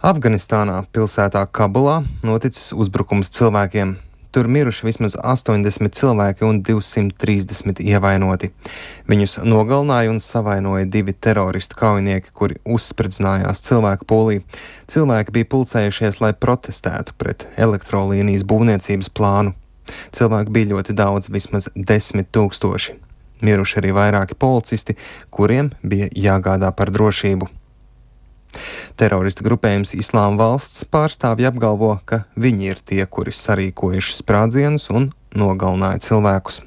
Afganistānā pilsētā Kabulā noticis uzbrukums cilvēkiem. Tur miruši vismaz 80 cilvēki un 230 ievainoti. Viņus nogalināja un savainoja 2 teroristu kaujinieki, kuri uzspridzinājās cilvēku pūlī. Cilvēki bija pulcējušies, lai protestētu pret elektrolīnijas būvniecības plānu. Cilvēku bija ļoti daudz, vismaz 10 000. Miruši arī vairāki policisti, kuriem bija jāgādā par drošību. Teroristu grupējums Islāma valsts pārstāvji apgalvo, ka viņi ir tie, kuri sarīkojuši sprādzienus un nogalināja cilvēkus.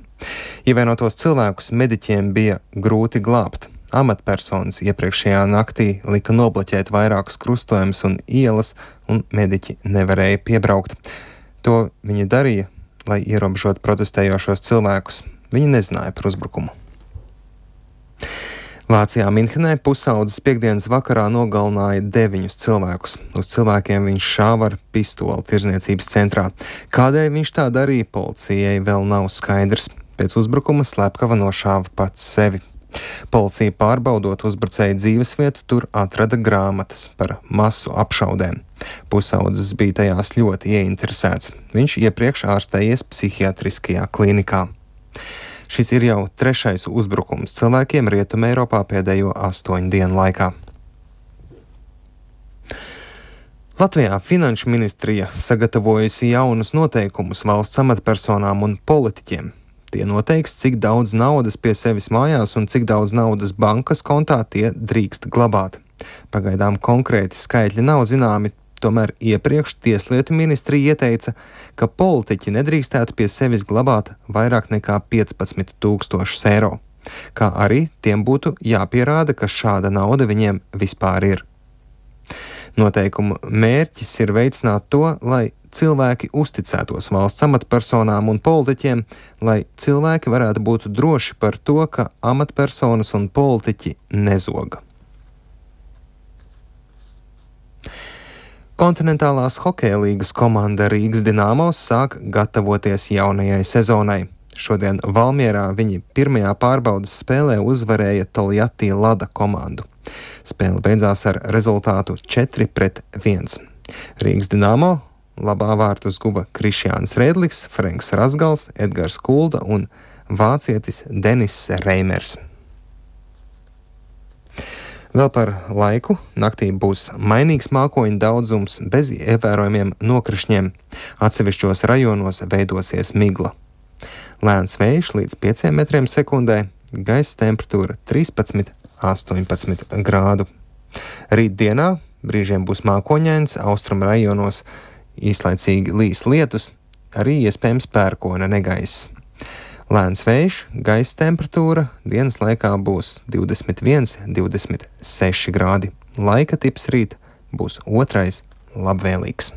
Ievainotos cilvēkus mediķiem bija grūti glābt. Amatpersonas iepriekšējā naktī lika nobloķēt vairākus krustojumus un ielas, un mediķi nevarēja piebraukt. To viņi darīja, lai ierobežotu protestējošos cilvēkus. Viņi nezināja par uzbrukumu. Vācijā Minhenē pusaudzes piektdienas vakarā nogalināja 9 cilvēkus. Uz cilvēkiem viņš šāva ar pistoli tirdzniecības centrā. Kādēļ viņš tā darīja, policijai vēl nav skaidrs. Pēc uzbrukuma slepkava nošāva pats sevi. Policija pārbaudot uzbrucēju dzīvesvietu, tur atrada grāmatas par masu apšaudēm. Pusaudzes bija tajās ļoti ieinteresēts. Viņš iepriekš ārstējies psihiatriskajā klīnikā. Šis ir jau 3. uzbrukums cilvēkiem Rietumē Eiropā pēdējo 8 dienu laikā. Latvijā Finanšu ministrija sagatavojusi jaunus noteikumus valsts amatpersonām un politiķiem. Tie noteiks, cik daudz naudas pie sevis mājās un cik daudz naudas bankas kontā tie drīkst glabāt. Pagaidām konkrēti skaitļi nav zināmi. Tomēr iepriekš Tieslietu ministrija ieteica, ka politiķi nedrīkstētu pie sevis glabāt vairāk nekā 15 000 eiro, kā arī tiem būtu jāpierāda, ka šāda nauda viņiem vispār ir. Noteikumu mērķis ir veicināt to, lai cilvēki uzticētos valsts amatpersonām un politiķiem, lai cilvēki varētu būt droši par to, ka amatpersonas un politiķi nezoga. Kontinentālās hokeja līgas komanda Rīgas Dinamo sāk gatavoties jaunajai sezonai. Šodien Valmierā viņi pirmajā pārbaudes spēlē uzvarēja Toljatti Lada komandu. Spēle beidzās ar rezultātu 4-1. Rīgas Dinamo labā vārtus guva Krišjāns Rēdlis, Frenks Razgals, Edgars Kulda un vācietis Denis Reimers. Vēl par laiku. Naktī būs mainīgs mākoņu daudzums bez ievērojamiem nokrišņiem. Atsevišķos rajonos veidosies migla. Lēns vējš līdz 5 metriem sekundē, gaisa temperatūra 13–18 grādu. Rīt dienā brīžiem būs mākoņains, austrumu rajonos īslaicīgi līs lietus, arī iespējams pērkona negaiss. Lēns vējš, gaisa temperatūra dienas laikā būs 21–26 grādi. Laika tips rīt būs 2. labvēlīgs.